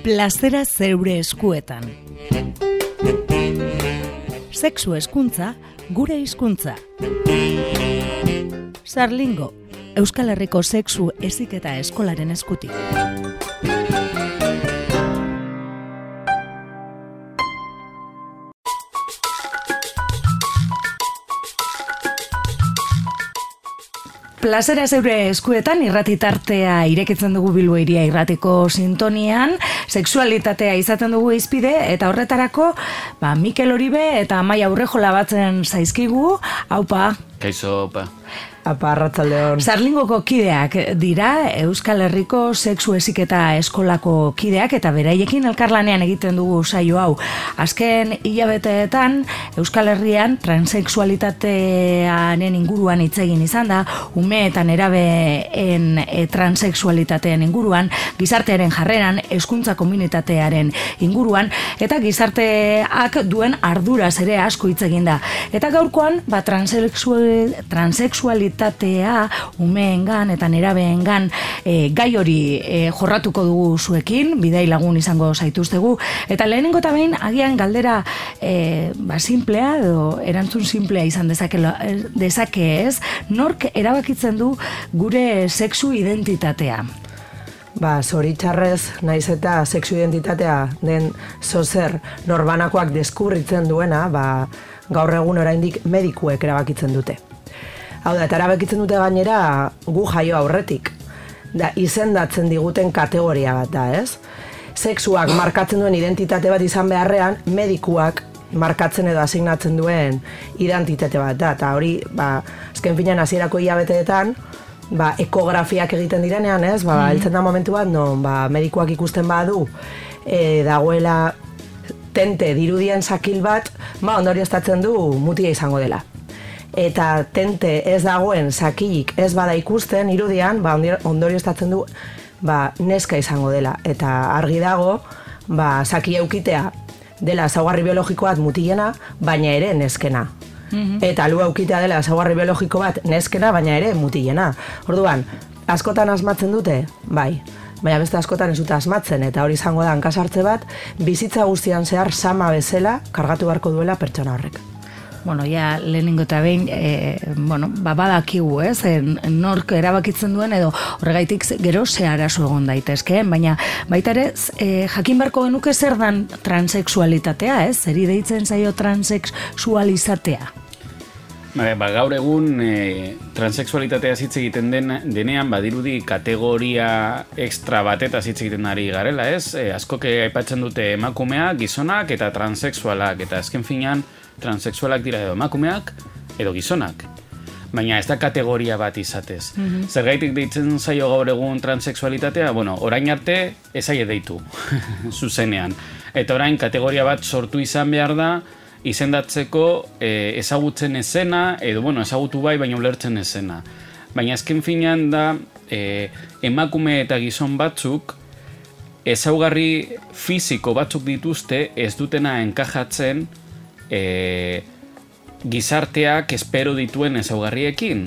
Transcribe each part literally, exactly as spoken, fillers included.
Plazera zeure eskuetan. Sexu hezkuntza, gure hizkuntza. Sarlingo, Euskal Herriko sexu heziketa eskolaren eskutik. Plazera zeure eskuetan irratitartea irekitzen dugu Bilbo Hiria irratiko sintonian, sexualitatea izaten dugu hizpide eta horretarako ba, Mikel Oribe eta Amaia Urrejola batzen zaizkigu. Aupa. Kaixo, opa. Apa, arratzaldeon. Sarlingoko kideak dira, Euskal Herriko sexu heziketa eskolako kideak eta beraiekin elkarlanean egiten dugu saio hau. Azken hilabeteetan Euskal Herrian transexualitatearen inguruan hitz egin izan da, ume eta nerabeen e, transexualitatean inguruan, gizartearen jarreran, hezkuntza komunitatearen inguruan, eta gizarteak duen arduraz ere asko hitz egin da. Eta gaurkoan, ba, transexual, transexualitatea tatea umeengan eta nerabeengan e, gai hori e, jorratuko dugu zuekin, bidai lagun izango zaituztegu, eta lehenengo eta behin agian galdera e, ba, simplea edo erantzun simplea izan dezake, dezake ez, nork erabakitzen du gure sexu identitatea? Ba, zoritxarrez, naiz eta sexu identitatea den zozer norbanakoak deskubritzen duena, ba, gaur egun oraindik medikuek erabakitzen dute. Hau da, eta erabakitzen dute gainera gu jaio aurretik. Da, izendatzen diguten kategoria bat da, ez? Sexuak markatzen duen identitate bat izan beharrean, medikuak markatzen edo asignatzen duen identitate bat da. Eta hori, ba, azken finean hasierako hilabeteetan, ba, ekografiak egiten direnean, ez? Ba, mm. heltzen da momentu bat, non, ba, medikuak ikusten badu, e, dagoela tente dirudien sakil bat, ba, ondorioztatzen du mutia izango dela. Eta tente ez dagoen sakilik ez bada ikusten irudian, ba, ondorioztatzen du ba, neska izango dela. Eta argi dago, ba, saki eukitea dela ezaugarri biologiko bat mutilena, baina ere neskena. Mm-hmm. Eta lu eukitea dela ezaugarri biologiko bat neskena, baina ere mutilena. Orduan, askotan asmatzen dute? Bai. Baina beste askotan ez dute asmatzen, eta hori izango da hankasartze bat, bizitza guztian zehar sama bezala kargatu beharko duela pertsona horrek. Bueno, ja, lehenengo eta behin, e, bueno, ba, badakigu, ez, e, nork erabakitzen duen edo horregaitik gero ze arazo egon daitezkeen, baina baita ere, e, jakin beharko genuke zer dan transexualitatea, ez, zeri deitzen zaio transexualizatea? Ba, ba, gaur egun e, transexualitatea hitz egiten den, denean badirudi kategoria extra batetaz hitz egiten ari garela, ez? E, askok aipatzen dute emakumea, gizonak eta transexualak, eta azken finean transexualak dira edo emakumeak edo gizonak. Baina ez da kategoria bat izatez. Mm-hmm. Zergaitik deitzen zaio gaur egun transexualitatea? Bueno, orain arte ez zaie deitu, zuzenean. Eta orain kategoria bat sortu izan behar da, izendatzeko e, ezagutzen ezena, edo bueno, ezagutu bai, baina ulertzen ezena. Baina azken finean da, e, emakume eta gizon batzuk, ezaugarri fisiko batzuk dituzte, ez dutena enkajatzen e, gizarteak espero dituen ezaugarriekin.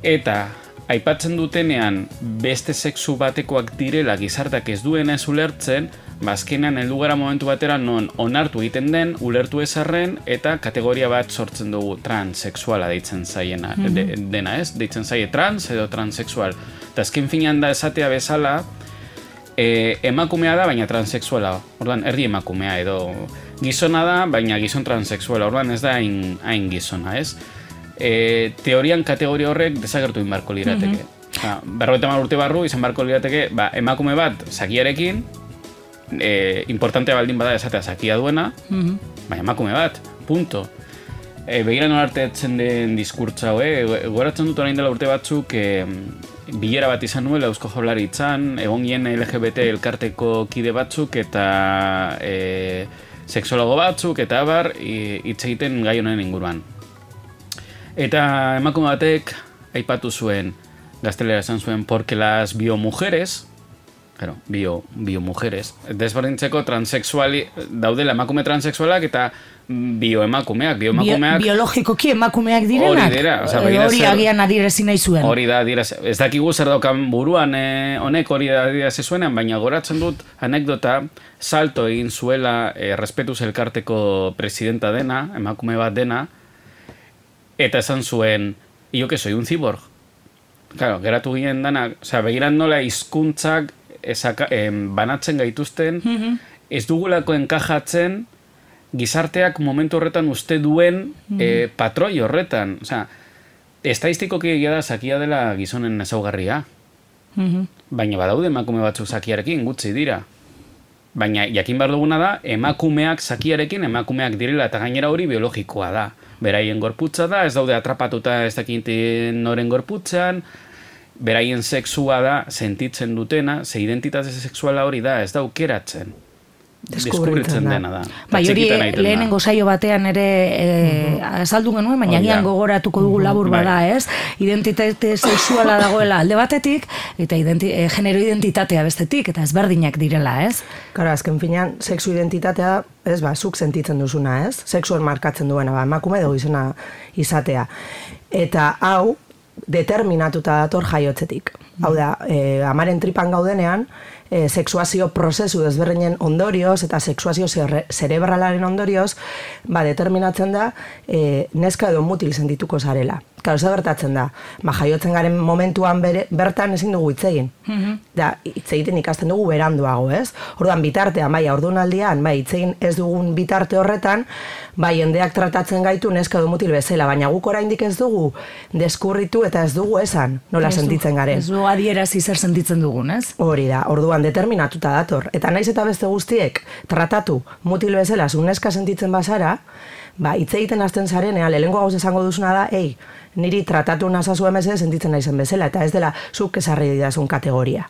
Eta aipatzen dutenean beste sexu batekoak direla gizarteak ez duena ez ulertzen, bazkenean heldu gara momentu batera non onartu egiten den, ulertu ezarren, eta kategoria bat sortzen dugu transexuala deitzen zaiena, mm-hmm. de, dena ez, deitzen zaie trans edo transexual. Eta azken finean da esatea bezala, e, emakumea da, baina transexuala, orduan erdi emakumea edo gizona da, baina gizon transexuala, orduan ez da hain, hain gizona, ez? E, teorian kategoria horrek desagertu inbarko lirateke. Mm-hmm. Berrogeita hamar urte barru izan barko lirateke, ba, emakume bat sakiarekin, e, importantea baldin bada esatea sakia duena, mm-hmm. baina emakume bat, punto. E, begira nola artetzen den diskurtza, eh? Goratzen dut orain dela urte batzuk, e, bilera bat izan nuela Eusko Jaurlaritzan, egon gien L G B T elkarteko kide batzuk eta e, sexologo batzuk eta abar hitz egiten gai honen inguruan. Eta emakume batek aipatu zuen, gaztelera esan zuen, porque las biomujeres, Claro, bio, bio mujeres. Desberdintzeko transexuali, daudela emakume transexualak eta bioemakumeak, bioemakumeak... Bio, biologikoki emakumeak direnak? Hori dira. O sea, hori zer, agian adirezi nahi zuen. Hori da, adirezi. Ez dakigu zer daukan buruan eh, honek hori da adirezi zuenean, baina goratzen dut anekdota, salto egin zuela eh, Respetuz elkarteko presidenta dena, emakume bat dena, eta esan zuen, yo que soy un cyborg. Claro, geratu ginen dana, o sea, begiran nola hizkuntzak esaka, eh, banatzen gaituzten, mm-hmm. ez dugulako enkajatzen gizarteak momentu horretan uste duen mm-hmm. eh, patroi horretan. O sea, estadistikoki egia da zakia dela gizonen ezaugarria. Mm-hmm. Baina badaude emakume batzuk zakiarekin, gutxi dira. Baina jakin behar duguna da, emakumeak zakiarekin emakumeak direla eta gainera hori biologikoa da. Beraien gorputza da, ez daude atrapatuta ez dakinten noren gorputzan, beraien sexua da, sentitzen dutena, ze identitate sexuala hori da, ez da aukeratzen. Deskubritzen dena da. Bai, hori lehenengo saio batean ere azaldu genuen, baina gian gogoratuko dugu labur bada, ez? Identitate sexuala dagoela alde batetik, eta identi, e, genero identitatea bestetik, eta ezberdinak direla, ez? Karo, azken finean, sexu identitatea, ez ba, zuk sentitzen duzuna, ez? Sexuan markatzen duena, ba, emakume dugu izena izatea. Eta hau, determinatuta dator jaiotzetik. Hau da, e, amaren tripan gaudenean, e, sexuazio prozesu desberdinen ondorioz eta sexuazio zerebralaren ondorioz, ba, determinatzen da e, neska edo mutil sentituko zarela. Karo, ze gertatzen da, ba, jaiotzen garen momentuan bere, bertan ezin dugu hitz egin. Mm-hmm. Da, hitz egiten ikasten dugu beranduago, ez? Orduan bitartean, bai, ordunaldian, bai, hitz egin ez dugun bitarte horretan, bai, jendeak tratatzen gaitu neska edo mutil bezala, baina guk oraindik ez dugu deskurritu eta ez dugu esan nola sentitzen garen. Ez du adierazi zer sentitzen dugun, ez? Hori da, orduan determinatuta dator. Eta naiz eta beste guztiek tratatu mutil bezala zu neska sentitzen bazara, ba, hitz egiten hasten zarenean, lehengo gauz esango duzuna da, ei, niri tratatu nazazu emese sentitzen naizen bezala, eta ez dela zuk esarri didazun kategoria.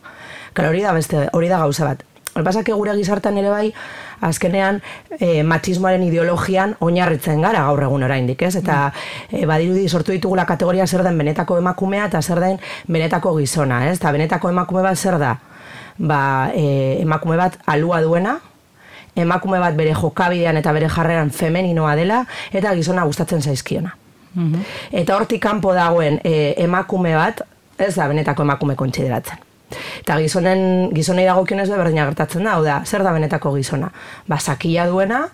Karo, hori da beste, hori da gauza bat. Hori pasak gure gizartan ere bai, azkenean e, matxismoaren ideologian oinarritzen gara gaur egun oraindik, ez? Eta e, badirudi sortu ditugula kategoria zer den benetako emakumea eta zer den benetako gizona, ez? Eta benetako emakume bat zer da? Ba, e, emakume bat alua duena, emakume bat bere jokabidean eta bere jarreran femeninoa dela, eta gizona gustatzen zaizkiona. Mm-hmm. Eta hortik kanpo dagoen e, emakume bat, ez da benetako emakume kontsideratzen. Eta gizonen, gizonei dagokionez berdina gertatzen da, hau da, zer da benetako gizona? Ba, sakia duena,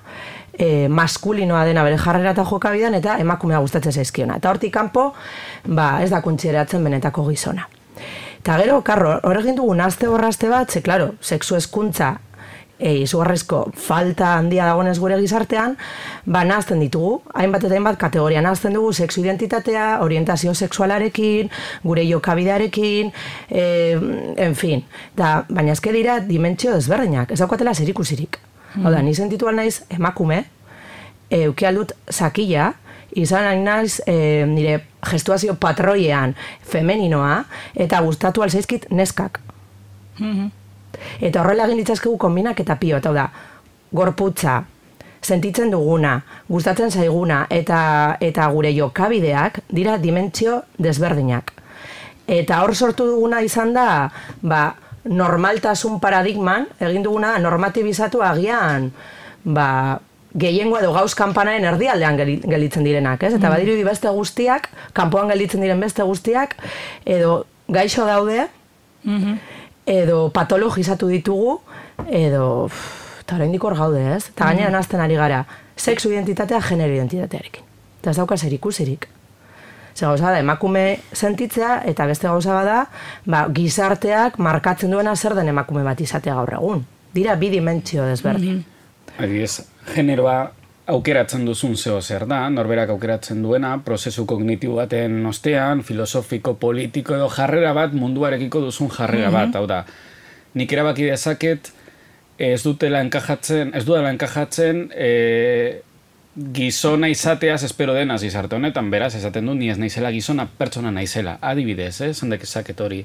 e, maskulinoa dena bere jarrera eta jokabidean, eta emakumea gustatzen zaizkiona. Eta hortik kanpo, ba, ez da kontsideratzen benetako gizona. Eta gero, karro, horregin dugu nazte borrazte bat, ze, klaro, sexu hezkuntza e, izugarrezko falta handia dagoenez gure gizartean, ba, nahazten ditugu, hainbat eta hainbat kategoria nahazten dugu, sexu identitatea, orientazio sexualarekin, gure jokabidearekin, e, en fin, da, baina ezke dira dimentsio desberdinak, ez daukatela zerikusirik. Mm. Hau da, ni sentitu naiz emakume, e, ukialdut zakila, izan hain naiz e, nire gestuazio patroiean femeninoa, eta gustatu alzaizkit neskak. Mm-hmm. Eta horrela egin ditzazkegu konbinak eta pio, eta da, gorputza, sentitzen duguna, gustatzen zaiguna, eta, eta gure jokabideak dira dimentsio desberdinak. Eta hor sortu duguna izan da, ba, normaltasun paradigman, egin duguna normatibizatu agian, ba, gehiengo edo gauz kanpanaren erdialdean gelditzen direnak, ez? Eta badirudi beste guztiak, kanpoan gelditzen diren beste guztiak, edo gaixo daude, mm-hmm. edo patologizatu ditugu, edo, eta oraindik hor gaude, ez? Eta gainera nazten ari gara, sexu identitatea, genero identitatearekin. Eta ez dauka zerikusirik. Ze gauza da, emakume sentitzea, eta beste gauza bada, ba, gizarteak markatzen duena zer den emakume bat izatea gaur egun. Dira bi dimentsio desberdin. Mm-hmm. Adiez, generoa aukeratzen duzun zeo zer da, norberak aukeratzen duena, prozesu kognitibo baten ostean, filosofiko, politiko edo jarrera bat, munduarekiko duzun jarrera bat, hau da. Nik erabaki dezaket, ez dutela enkajatzen, ez dutela enkajatzen, e, gizona izateaz espero denaz gizarte honetan, beraz, esaten du, ni ez naizela gizona, pertsona naizela, adibidez, eh, zendek esaket hori,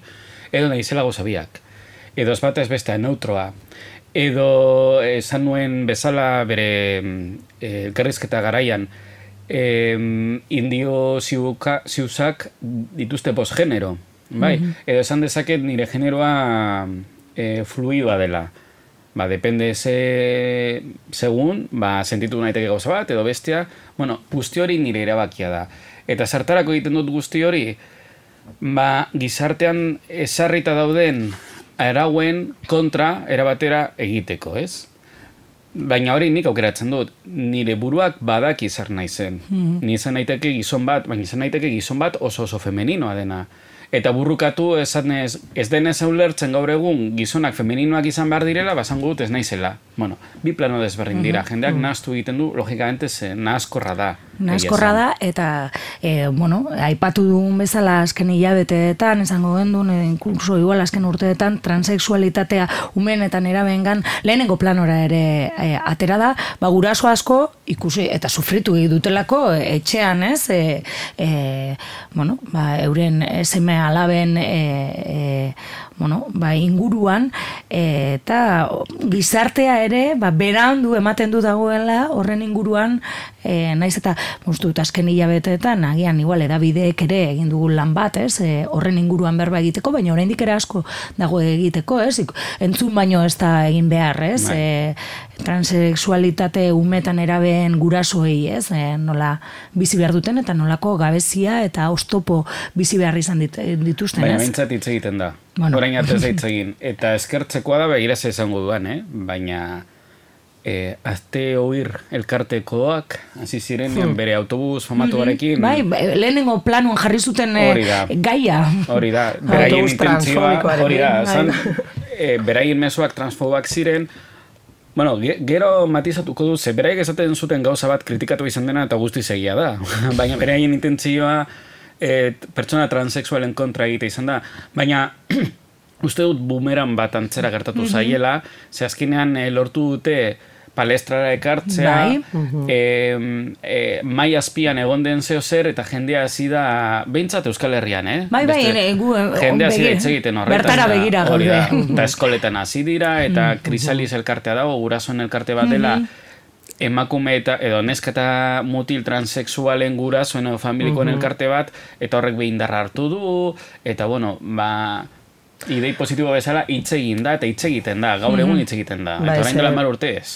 edo naizela gozabiak, edo ez bat ez bestea, neutroa, edo esan nuen bezala bere elkarrizketa garaian, eh, indio ziuka, ziuzak dituzte posgenero, bai? Mm-hmm. Edo esan dezaket nire generoa e, fluidoa dela. Ba, depende ze, segun, ba, sentitu naiteke gauza bat, edo bestia, bueno, guzti hori nire erabakia da. Eta zertarako egiten dut guzti hori, ba, gizartean ezarrita dauden arauen kontra erabatera egiteko, ez? Baina hori nik aukeratzen dut, nire buruak badaki zer naizen. Mm-hmm. Ni izan naiteke gizon bat, baina izan naiteke gizon bat oso oso femeninoa dena. Eta burrukatu esanez, ez denez ulertzen gaur egun gizonak femeninoak izan behar direla, basango dut ez naizela. Bueno, bi plano desberdin dira. Mm-hmm. Jendeak nahaztu egiten du, logikamente, ze nahazkorra da. Nahazkorra da, eta, e, bueno, aipatu dugun bezala azken hilabeteetan, esango gendun, inkluso igual azken urteetan, transexualitatea umenetan erabengan, lehenengo planora ere e, atera da, ba, guraso asko ikusi, eta sufritu dutelako etxean, ez? E, e, bueno, ba, euren seme alaben e, e, bueno, ba, inguruan, e, eta gizartea ere, ba, berandu ematen du dagoela horren inguruan, e, naiz eta moztu dut azken hilabeteetan, agian igual edabideek ere egin dugun lan bat, ez, e, horren inguruan berba egiteko, baina oraindik ere asko dago egiteko, ez, entzun baino ez da egin behar, ez, e, transexualitate umetan erabeen gurasoei, ez, e, nola bizi behar duten eta nolako gabezia eta oztopo bizi behar izan dit, dituzten, ez? Baina bintzat hitz egiten da. Bueno. Orain arte ez hitz egin. Eta eskertzekoa da begiraz izango duan, eh? Baina e, azte oir elkartekoak, hasi ziren hmm. bere autobus famatuarekin. Bai, lehenengo planuan jarri zuten e, gaia. Hori da, beraien intentzioa, hori da, zan, e, beraien mezuak transfobak ziren. Bueno, gero matizatuko du, ze beraiek esaten zuten gauza bat kritikatu izan dena eta guztiz egia da. Baina beraien intentzioa E, pertsona transexualen kontra egite izan da, baina uste dut bumeran bat antzera gertatu mm-hmm. zaiela, ze azkenean e, lortu dute palestrara ekartzea, bai. e, e, mai azpian egon den zeo zer, eta jendea hasi da, behintzat Euskal Herrian, eh? Bai, bai, Beste, gu, jendea hasi da hitz egiten horretan. Bertara begira gaude. Eta eskoletan hasi dira, eta mm-hmm. Krisalis elkartea dago, gurasoen elkarte bat dela, mm-hmm. emakume eta edo neska eta mutil transexualen gurasoen edo familikoen uh-huh. elkarte bat, eta horrek behin darra hartu du, eta bueno, ba, idei positibo bezala hitz egin da, eta hitz egiten da, gaur egun hitz egiten da, eta orain dela mar urte ez.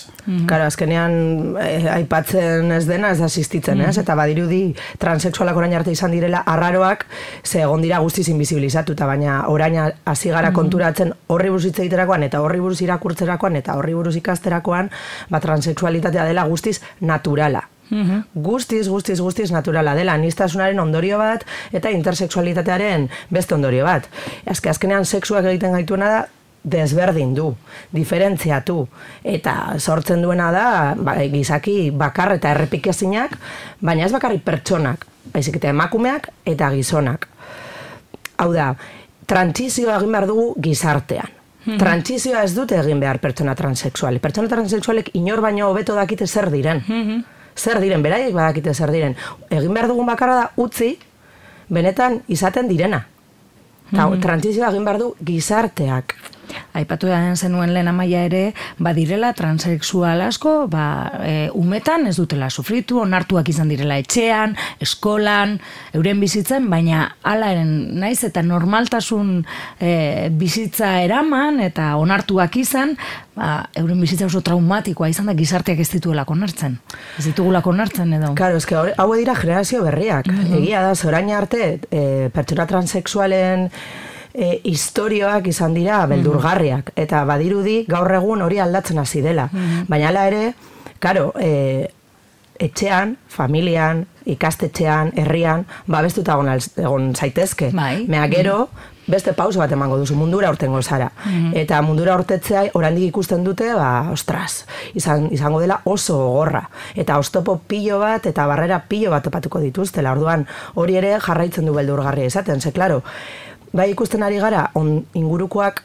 Karo, azkenean eh, aipatzen ez dena ez da asistitzen, ez? Eta badirudi transexualak orain arte izan direla arraroak, ze egon dira guztiz invisibilizatuta, baina orain hasi gara konturatzen horri buruz hitz egiterakoan, eta horri buruz irakurtzerakoan, eta horri buruz ikasterakoan, ba, transexualitatea dela guztiz naturala. Mm-hmm. Guztiz, guztiz, guztiz naturala dela, anistasunaren ondorio bat eta intersexualitatearen beste ondorio bat. Azke, azkenean sexuak egiten gaituena da desberdin du, diferentziatu, eta sortzen duena da ba, gizaki bakar eta errepikezinak, baina ez bakarrik pertsonak, baizik eta emakumeak eta gizonak. Hau da, trantsizioa egin behar dugu gizartean. Mm-hmm. Trantsizioa ez dute egin behar pertsona transexuali. Pertsona transexualek inor baino hobeto dakite zer diren. Mm-hmm. Zer diren, beraiek badakite zer diren. Egin behar dugun bakarra da utzi, benetan izaten direna. Mm-hmm. Trantsizioa egin behar du gizarteak. Aipatu da zenuen lehen amaia ere, badirela transexual asko, ba, e, umetan ez dutela sufritu, onartuak izan direla etxean, eskolan, euren bizitzen, baina alaren naiz eta normaltasun e, bizitza eraman eta onartuak izan, ba, euren bizitza oso traumatikoa izan da gizarteak ez dituelako onartzen. Ez ditugulako onartzen edo. Claro, eske hau dira generazio berriak. Mm-hmm. Egia da, zorain arte, e, pertsona transexualen E, historioak izan dira beldurgarriak, eta badirudi gaur egun hori aldatzen hasi dela. Mm-hmm. Baina hala ere, karo, e, etxean, familian, ikastetxean, herrian, babestuta egon, egon zaitezke. Bai. Mea gero, beste pauso bat emango duzu, mundura urtengo zara. Mm-hmm. Eta mundura urtetzea oraindik ikusten dute, ba, ostras, izan, izango dela oso gogorra. Eta oztopo pilo bat, eta barrera pilo bat topatuko dituztela. Orduan, hori ere jarraitzen du beldurgarria izaten, ze, klaro, bai ikusten ari gara, on, ingurukoak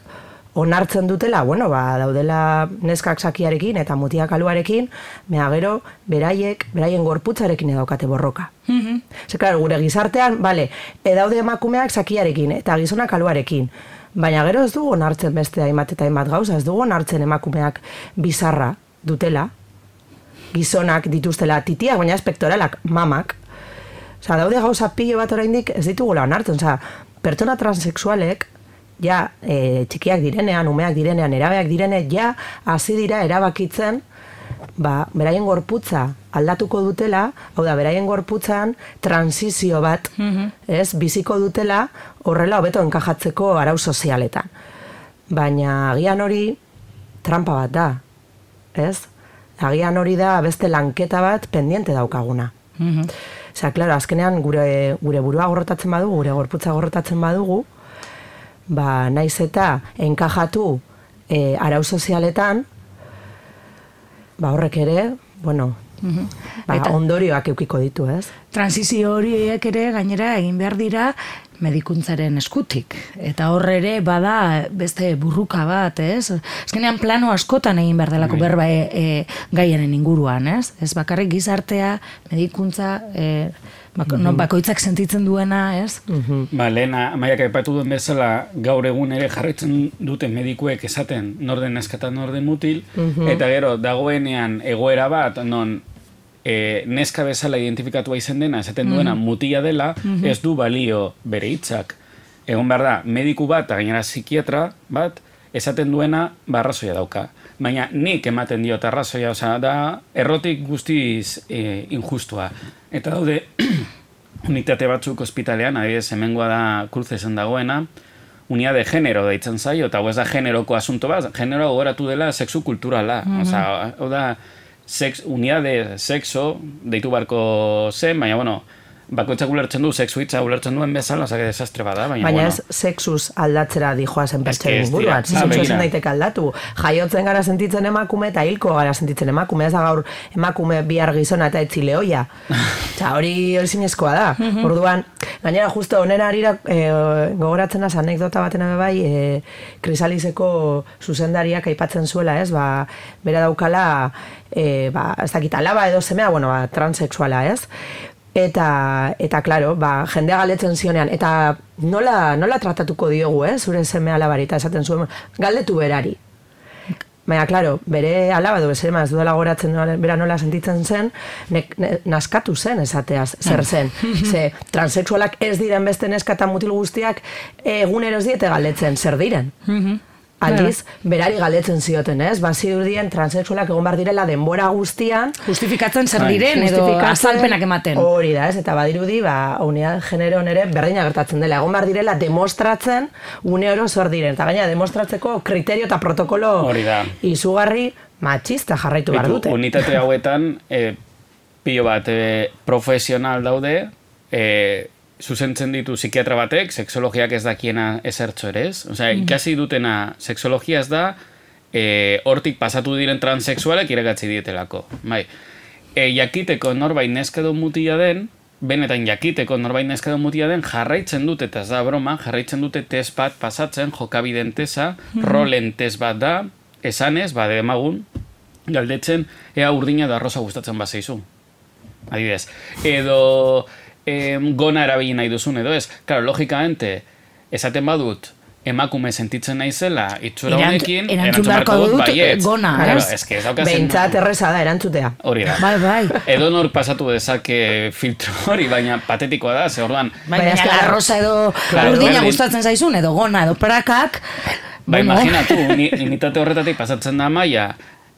onartzen dutela, bueno, ba, daudela neskak sakiarekin eta mutiak aluarekin, mea gero, beraiek, beraien gorputzarekin edaukate borroka. Mm-hmm. Ze, klaro, gure gizartean, bale, edaude emakumeak sakiarekin eta gizonak aluarekin, baina gero ez dugu onartzen beste hainbat eta hainbat gauza, ez dugu onartzen emakumeak bizarra dutela, gizonak dituztela titiak, baina espektoralak mamak. Osa, daude gauza pilo bat oraindik ez ditugula onartzen, osa, pertsona transexualek ja e, txikiak direnean, umeak direnean, erabeak direnean, ja hasi dira erabakitzen, ba, beraien gorputza aldatuko dutela, hau da, beraien gorputzan transizio bat, mm-hmm. ez, biziko dutela horrela hobeto enkajatzeko arau sozialetan. Baina agian hori trampa bat da, ez? Agian hori da beste lanketa bat pendiente daukaguna. Mm-hmm. Osea, klaro, azkenean gure, gure burua gorrotatzen badugu, gure gorputza gorrotatzen badugu, ba, naiz eta enkajatu e, arau sozialetan, ba, horrek ere, bueno, mm-hmm. ba, eta ondorioak eukiko ditu, ez? Transizio horiek ere gainera egin behar dira medikuntzaren eskutik. Eta hor ere bada beste burruka bat, ez? Azkenean plano askotan egin behar delako berba e, e, gaiaren inguruan, ez? Ez bakarrik gizartea, medikuntza, e, bako, mm-hmm. no, bakoitzak sentitzen duena, ez? Mm-hmm. Ba, lehena, Amaiak aipatu duen bezala, gaur egun ere jarraitzen dute medikuek esaten norden neska eta norden mutil, mm-hmm. eta gero, dagoenean egoera bat, non E, neska bezala identifikatua izen dena, esaten duena mm-hmm. mutila dela, mm-hmm. ez du balio bere hitzak. Egon behar da, mediku bat, gainera psikiatra bat, esaten duena barrazoia dauka. Baina nik ematen diot arrazoia, osea, da errotik guztiz e, injustua. Eta daude, unitate batzuk ospitalean, adibidez, hemengoa da Kruzesen dagoena, unia de genero deitzen zaio, eta hau ez da generoko asunto bat, genero gogoratu dela sexu kulturala. Mm-hmm. Osea, hau da, Sex, unidad de sexo, deitu barko zen, baina, bueno, bakoitzak ulertzen du, sexu hitza ulertzen duen bezala, oza, que desastre bada, baina, baina bueno. ez sexuz aldatzera dijoazen pertsenen inguruan, sexu esan daitek aldatu. Jaiotzen gara sentitzen emakume eta hilko gara sentitzen emakume, ez da gaur emakume bihar gizona eta etzi lehoia. Eta hori hori zinezkoa da. Orduan, gainera, justo onera harira e, gogoratzen az anekdota baten bai, e, Krisaliseko zuzendariak aipatzen zuela, ez, ba, bera daukala, e, ba, ez dakit alaba edo semea, bueno, ba, transexuala, ez? Eta, eta claro, ba, jendea galetzen zionean, eta nola, nola tratatuko diogu, eh, zure seme alabari, eta esaten zuen, galdetu berari. Baina, claro, bere alaba du, bezema, ez duela goratzen bera nola sentitzen zen, ne, ne, naskatu zen esateaz, zer zen. Ze, transexualak ez diren beste neska eta mutil guztiak egunero ez diete galdetzen, zer diren. Aldiz, berari galdetzen zioten, ez? Ba, zirudien transexualak egon behar direla denbora guztian. Justifikatzen zer diren edo azalpenak ematen. Hori da, ez? Eta badirudi, ba, unidad genero nere berdina gertatzen dela. Egon behar direla demostratzen une oro zer diren. Eta gaina, demostratzeko kriterio eta protokolo izugarri matxista jarraitu behar dute. Unitate hauetan, e, pilo bat e, profesional daude, e, zuzentzen ditu psikiatra batek, sexologiak ez dakiena ezertxo ere, ez? Osea, ikasi dutena sexologia ez da, e, hortik pasatu diren transexualek irakatzi dietelako. Bai. E, jakiteko norbait neska edo mutila den, benetan jakiteko norbait neska edo mutila den, jarraitzen dute, eta ez da broma, jarraitzen dute test bat pasatzen, jokabiden tesa, rolen test bat da, esanez, ba, demagun, galdetzen, ea urdina da arroza gustatzen bazaizu. Adibidez. Edo Eh, gona erabili nahi duzun edo ez. Claro, logikamente, esaten badut, emakume sentitzen naizela, itxura honekin, erantzun beharko dut, baiet. Gona, claro, ez? Que ez daukazen... Behintzat erreza da, erantzutea. Hori da. Bai, bai. Edo nor pasatu dezake filtro hori, baina patetikoa da, ze orduan... Baina bai, arroza edo claro, urdina gustatzen zaizun, edo gona, edo prakak... Ba, bueno. Imaginatu, unitate horretatik pasatzen da maia,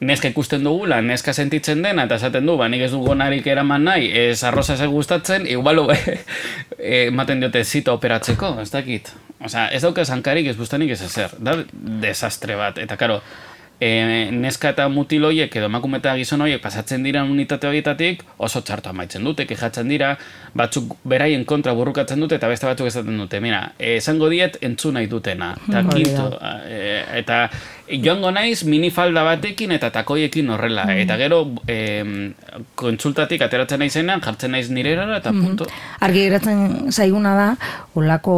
neska ikusten dugula, neska sentitzen dena, eta esaten du, ba, nik ez du gonarik eraman nahi, ez arroza ez gustatzen, igual ematen diote zita operatzeko, ez dakit. Osea, ez dauka zankarik, ez bustanik ez ezer. Da desastre bat. Eta, karo, e, neska eta mutil horiek edo emakume eta gizon horiek pasatzen dira unitate horietatik, oso txartu amaitzen dute, kejatzen dira, batzuk beraien kontra burrukatzen dute, eta beste batzuk esaten dute. Mira, esango diet entzun nahi dutena. Eta, kintu, e, eta joango naiz minifalda batekin eta takoiekin horrela. Mm. Eta gero, e, kontsultatik ateratzen naizenean, jartzen naiz nire erara, eta mm. punto. Argi geratzen zaiguna da, olako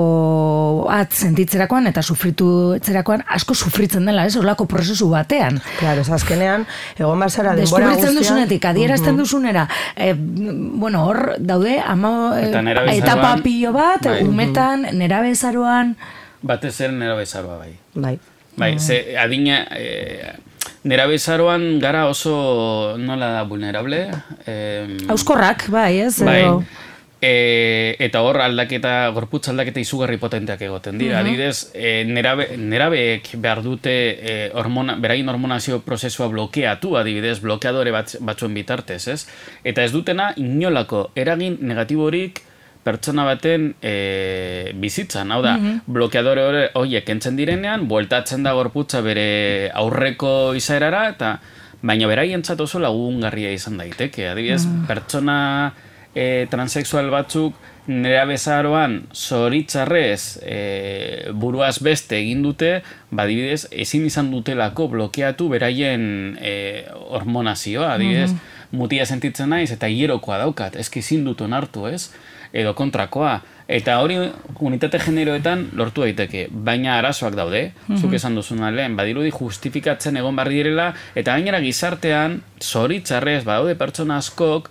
at sentitzerakoan eta sufritu etzerakoan asko sufritzen dela, ez? Olako prozesu batean. Claro, ez azkenean, egon bazara denbora guztian. Deskubritzen duzunetik, adierazten duzunera. E, bueno, hor daude, ama, e, etapa pilo bat, bai. Umetan, nerabezaroan. Batez zer nerabezaroa, bai. Bai. Bai, ze adina... E, nerabezaroan gara oso nola da vulnerable. Eh, Auskorrak, bai, ez? Bai. E, eta hor aldaketa, gorputz aldaketa izugarri potenteak egoten dira. Mm-hmm. Adibidez, e, nerabe, nerabeek behar dute e, hormona, berain hormonazio prozesua blokeatu, adibidez, blokeadore bat, batzuen bitartez, ez? Eta ez dutena inolako eragin negatiborik pertsona baten e, bizitzan. Hau da, mm-hmm. blokeadore horiek entzen direnean, bueltatzen da gorputza bere aurreko izaerara, eta baina beraientzat oso lagungarria izan daiteke. Adibidez, mm. pertsona E, transexual batzuk nera bezaroan zoritzarrez e, buruaz beste egin dute, badibidez, ezin izan dutelako blokeatu beraien e, hormonazioa, adibidez, mm-hmm. mutia sentitzen naiz eta hierokoa daukat, eski ezin dut onartu, ez? Edo kontrakoa. Eta hori unitate generoetan lortu daiteke, baina arazoak daude, mm-hmm. zuk esan duzuna lehen, badirudi justifikatzen egon barri direla, eta gainera gizartean zoritzarrez badaude pertsona askok,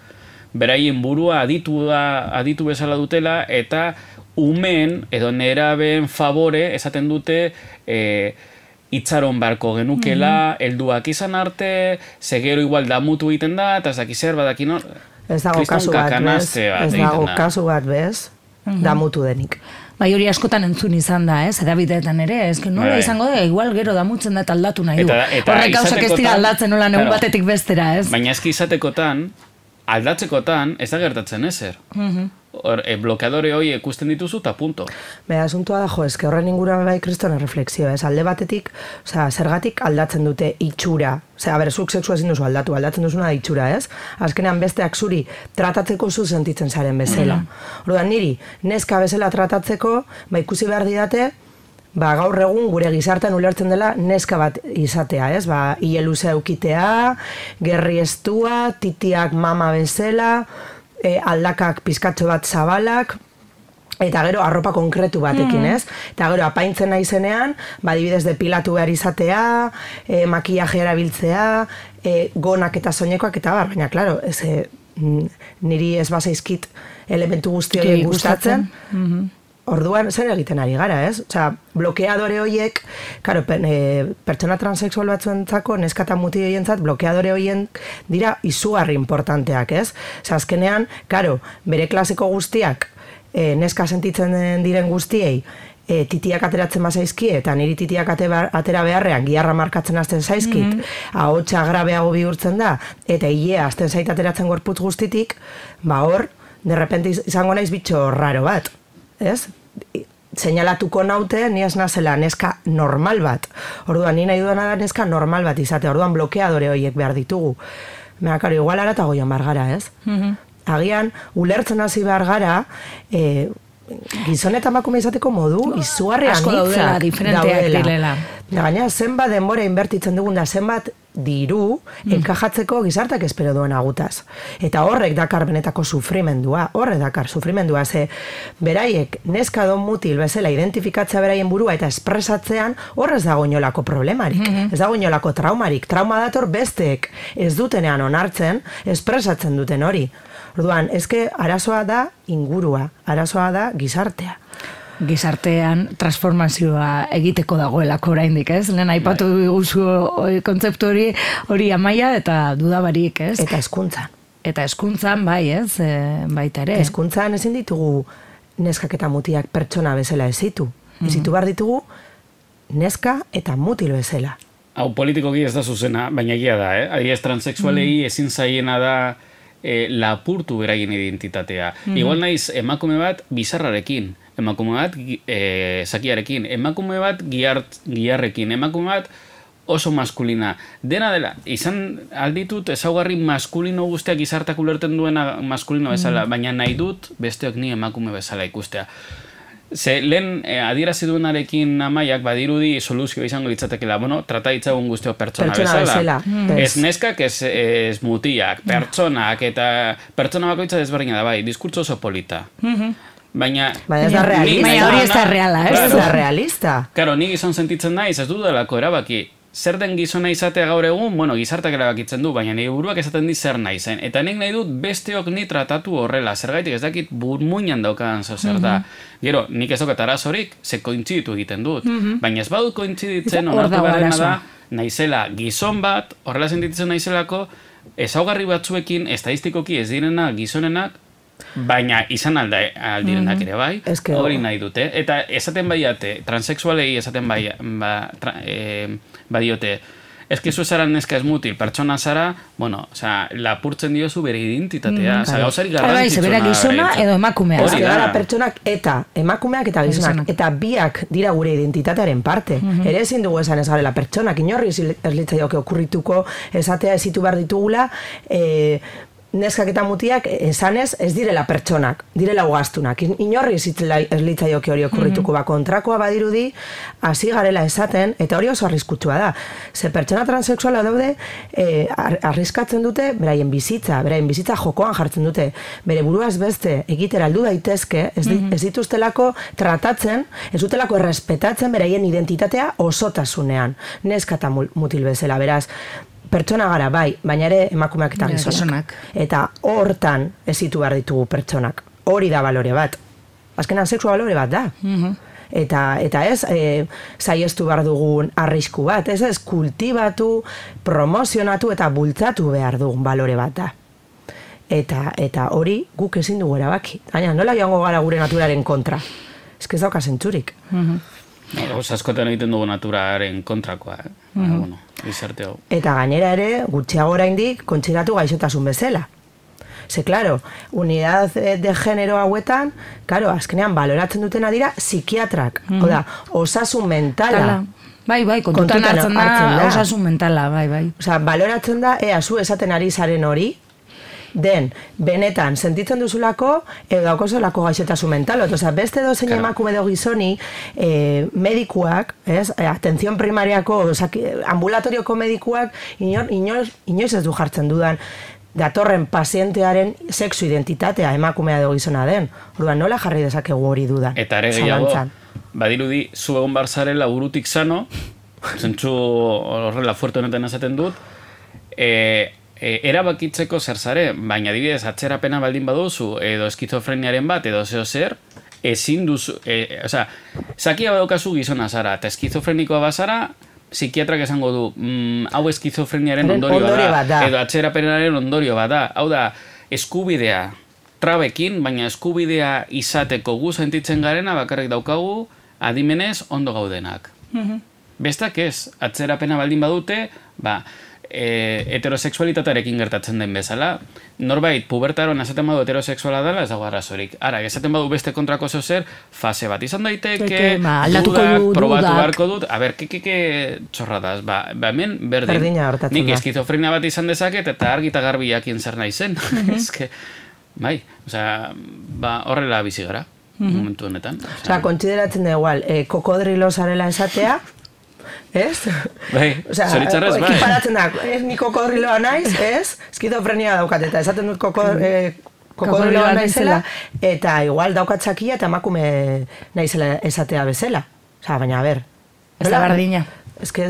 beraien burua aditu, da, aditu bezala dutela, eta umen edo nerabeen favore esaten dute e, itxaron barko genukela, mm-hmm. helduak izan arte, segero igual damutu egiten da, eta ez daki zer badaki nor... Ez dago kasu bat, bez? Ez dago kasu bat, bez? Mm-hmm. Damutu denik. Bai, hori askotan entzun izan da, ez? Edabideetan ere, ez? Nola izango da, igual gero damutzen da eta aldatu nahi du. Horrek gauzak ez dira aldatzen nola neun batetik bestera, ez? Baina eski izatekotan, aldatzekotan ez da gertatzen ezer. Mm-hmm. Or, e, blokeadore hori ikusten dituzu eta punto. Bera, asuntua da, jo, eske horren inguruan bai kristona reflexio, ez? Alde batetik, osea, zergatik aldatzen dute itxura. Osea, ber, zuk sexua ezin duzu aldatu, aldatzen duzuna da itxura, ez? Azkenean besteak zuri tratatzeko zu sentitzen zaren bezala. Mm-hmm. Orduan niri, neska bezala tratatzeko, ba ikusi behar didate, ba, gaur egun gure gizartean ulertzen dela neska bat izatea, ez? Ba, hile luze eukitea, gerri estua, titiak mama bezala, e, aldakak pizkatxo bat zabalak, eta gero arropa konkretu batekin, ez? Eta gero apaintzen naizenean, ba, adibidez depilatu behar izatea, e, makillaje erabiltzea, e, gonak eta soinekoak eta bar, baina, klaro, ez, e, niri ez bazaizkit elementu guzti horiek gustatzen, mm-hmm. Orduan, zer egiten ari gara, ez? Osea, blokeadore horiek, karo, e, pertsona transexual batzuentzako, neska eta muti horientzat, blokeadore horien dira izugarri importanteak, ez? Osea, azkenean, karo, bere klaseko guztiak, e, neska sentitzen diren guztiei, e, titiak ateratzen bazaizkie, eta niri titiak atera beharrean, giharra markatzen hasten zaizkit, mm-hmm. ahotsa grabeago bihurtzen da, eta hilea hasten zait ateratzen gorputz guztitik, ba hor, derrepente izango naiz bitxo raro bat. Ez? Seinalatuko naute, ni ez nazela neska normal bat. Orduan, ni nahi duena da neska normal bat izate. Orduan, blokeadore horiek behar ditugu. Mera, karo, igual ara eta goian behar gara, ez? Mm-hmm. Agian, ulertzen hasi behar gara, e, gizon eta emakume izateko modu, izugarri anitzak daudela, diferenteak direla. Gaina, zenbat denbora inbertitzen dugun da, zenbat diru mm. enkajatzeko gizartak espero duen agutaz. Eta horrek dakar benetako sufrimendua, horrek dakar sufrimendua, ze beraiek neska don mutil bezala identifikatzea beraien burua eta espresatzean horrez dago inolako problemarik, mm-hmm. ez dago inolako traumarik, trauma dator besteek ez dutenean onartzen, espresatzen duten hori. Orduan, ezke arazoa da ingurua, arazoa da gizartea. Gizartean transformazioa egiteko dagoelako oraindik, ez? Lehen aipatu diguzu kontzeptu hori, hori Amaia eta dudabarik, ez? Eta hezkuntzan. Eta hezkuntzan, bai, ez? E, baita ere. Hezkuntzan ezin ditugu neskak eta mutiak pertsona bezala ezitu. Mm-hmm. Ezitu behar ditugu neska eta mutil bezala. Hau politikoki ez da zuzena, baina egia da, eh? Adibidez transexualei mm. ezin zaiena da e, lapurtu beraien identitatea. Mm-hmm. Igual naiz emakume bat bizarrarekin, emakume bat e, zakiarekin, emakume bat giart, giarrekin, emakume bat oso maskulina. Dena dela, izan alditut ezaugarri maskulino guztiak gizartak ulerten duena maskulino bezala, mm. baina nahi dut besteok ni emakume bezala ikustea. Ze lehen eh, adierazi duenarekin Amaiak badirudi soluzio izango litzatekela, bueno, trata ditzagun guztiok pertsona, pertsona bezala. bezala. Ez neskak, ez, ez mutiak, pertsonak, eta pertsona bakoitza desberdina da, bai, diskurtso oso polita. Mm-hmm. Baina, baina ez da realista. Baina hori ez da reala, ez da realista. Karo, ni gizon sentitzen naiz, ez dudalako erabaki. Zer den gizona izatea gaur egun, bueno, gizartak erabakitzen du, baina nire buruak esaten di zer nahi zen. Eta nik nahi dut besteok ni tratatu horrela, zergaitik ez dakit burmuinan daukadan zo zer da. Mm-hmm. Gero, nik ez dokat arazorik, ze kointziditu egiten dut. Mm-hmm. Baina ez badut kointziditzen, onartu beharrena da, naizela gizon bat, horrela sentitzen naizelako, ezaugarri batzuekin, estadistikoki ez direna gizonenak, Baina izan alda aldirenak ere bai, Eske, hori nahi dute. Eta esaten baiate, transexualei esaten bai, ba, tra, e, badiote, eski zu zara neska ez mutil, pertsona zara, bueno, osea, lapurtzen diozu bere identitatea, osea, mm, gauzari garrantzitsuna. Bai, gizona edo emakumea. Hori da. Pertsonak eta emakumeak eta gizonak, eta biak dira gure identitatearen parte. Mm-hmm. Ere ezin dugu esan ez garela pertsonak, inorri ez litzaioke okurrituko esatea ezitu behar ditugula, eh, neskak eta mutiak esanez ez direla pertsonak, direla ugaztunak. Inorri ez litzaioke hori okurrituko, ba, kontrakoa badirudi, hasi garela esaten, eta hori oso arriskutsua da. Ze pertsona transexuala daude, eh, arriskatzen dute, beraien bizitza, beraien bizitza jokoan jartzen dute, bere buruaz beste egitera aldu daitezke, ez, di, ez dituztelako tratatzen, ez dutelako errespetatzen beraien identitatea osotasunean, neska eta mutil bezala, beraz, pertsona gara, bai, baina ere emakumeak eta gizonak. Eta hortan ezitu behar ditugu pertsonak. Hori da balore bat. Azkenan sexua balore bat da. Mm-hmm. Eta, eta ez, e, saiestu behar dugun arrisku bat, ez ez kultibatu, promozionatu eta bultzatu behar dugun balore bat da. Eta, eta hori guk ezin dugu erabaki. Baina nola joango gara gure naturaren kontra? Ez ez dauka zentzurik. Mm-hmm. No, askotan egiten dugu naturaren kontrakoa, eh? Mm-hmm. Bueno, bizarte hau. Eta gainera ere, gutxiago oraindik kontsidatu gaixotasun bezala. Ze, claro, unidad de genero hauetan, claro, azkenean baloratzen dutena dira psikiatrak. Mm. Oda, osasun mentala. Tala. Bai, bai, kontutan, kontutan hartzen, hartzen da, osasun mentala, bai, bai. Osa, baloratzen da, ea, zu esaten ari zaren hori, den, benetan, sentitzen duzulako, edo daukozolako gaixotasun mentalot. Osa, beste dozein claro. Emakume edo gizoni, eh, medikuak, ez, eh, atención primariako, osa, ambulatorioko medikuak, inoiz, inoiz, inoiz ez du jartzen dudan, datorren pazientearen sexu identitatea emakumea edo gizona den. Orduan, nola jarri dezakegu hori duda? Eta ere gehiago, badirudi, zu egon barzarela burutik sano, zentzu horrela fuerte honetan esaten dut, e, e, erabakitzeko zer zare, baina adibidez atzerapena baldin baduzu, edo eskizofreniaren bat, edo zeo zer, ezin duzu, e, oza, zakia badaukazu gizona zara, eta eskizofrenikoa bazara, psikiatrak esango du, mm, hau eskizofreniaren ondorio da, da, edo atzerapenaren ondorio bat da, hau da, eskubidea, trabekin, baina eskubidea izateko gu sentitzen garena bakarrik daukagu adimenez ondo gaudenak. Mm-hmm. Bestak ez, atzerapena baldin badute, ba, e, heterosexualitatearekin gertatzen den bezala, norbait pubertaron esaten badu heterosexuala dela, ez dago arrazorik. Ara, esaten badu beste kontrako zer, fase bat izan daiteke, ba, dudak, probatu beharko dut, a ber, kekeke txorradaz, ba, ba hemen berdin, nik eskizofrenia bat izan dezaket, eta argi eta garbi jakin zer nahi zen. Eske, bai, osea, ba, horrela bizi gara, momentu honetan. Osea, kontsideratzen da igual, eh, kokodrilo zarela esatea, ez? Bai, zoritzarrez, bai. Ekiparatzen da, ez ni kokodriloa naiz, ez? Eskizofrenia daukat, eta esaten dut kokodriloa kokodriloa naizela, eta igual daukatzakia eta emakume naizela esatea bezala. Osea, baina, a ber. Ez da bardina. Ez, que,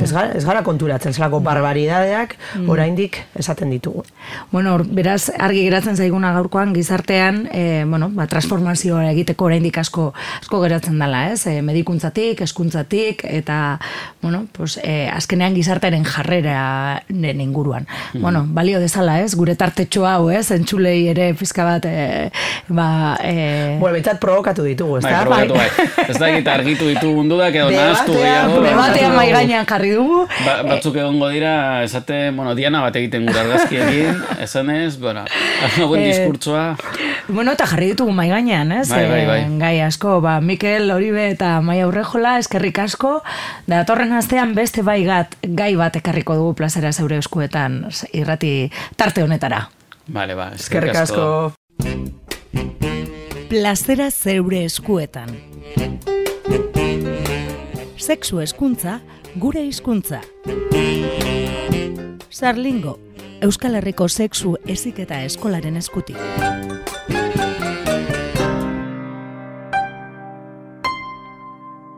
ez, gara, ez gara konturatzen, zelako barbaridadeak oraindik esaten ditugu. Bueno, beraz, argi geratzen zaiguna gaurkoan gizartean, e, bueno, ba, transformazioa egiteko oraindik asko asko geratzen dela, ez? E, medikuntzatik, hezkuntzatik eta, bueno, pues, e, azkenean gizartearen jarrera den inguruan. Mm. Bueno, balio dezala, ez? Gure tartetxo hau, ez? Entzulei ere pizka bat, e, ba... E... Bueno, betzat provokatu ditugu, ez da? Bai, provokatu, bai. Ez da egita argitu ditugu mundudak edo nahaztu gehiago. Debatean mai gainean jarri dugu. Ba, batzuk egongo dira, esate, bueno, Diana bat egiten gure argazkiekin, esanez, bueno, buen diskurtsoa. Bueno, eta jarri ditugu mai gainean, ez? Bai, bai, bai. Gai asko, ba, Mikel Oribe eta Maia Urrejola, eskerrik asko, da datorren astean beste bai gat, gai bat ekarriko dugu plazera zeure eskuetan irrati tarte honetara. Vale, ba, eskerrik asko. Plazera zeure eskuetan. Sexu hezkuntza, gure hizkuntza. Sarlingo, Euskal Herriko sexu heziketa eskolaren eskutik.